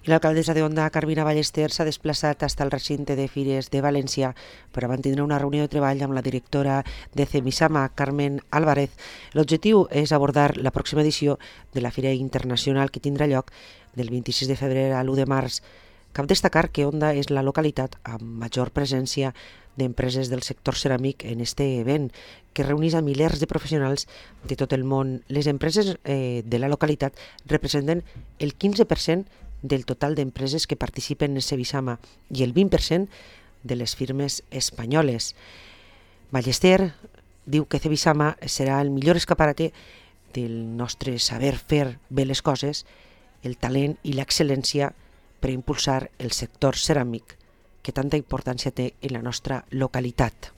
I l'alcaldessa de Onda, Carmina Ballester, s'ha desplaçat fins al recinte de Fires de València per a mantenir una reunió de treball amb la directora de CEMISAMA, Carmen Álvarez. L'objectiu és abordar la pròxima edició de la Fira Internacional que tindrà lloc del 26 de febrer a l'1 de març. Cal destacar que Onda és la localitat amb major presència d'empreses del sector ceràmic en este event, que reuneix a milers de professionals de tot el món. Les empreses de la localitat representen el 15% del total d'empreses que participen en CEMISAMA i el 20% de les firmes espanyoles. Ballester diu que CEMISAMA serà el millor escaparate del nostre saber fer bé les coses, el talent i l'excel·lència per impulsar el sector ceràmic que tanta importància té en la nostra localitat.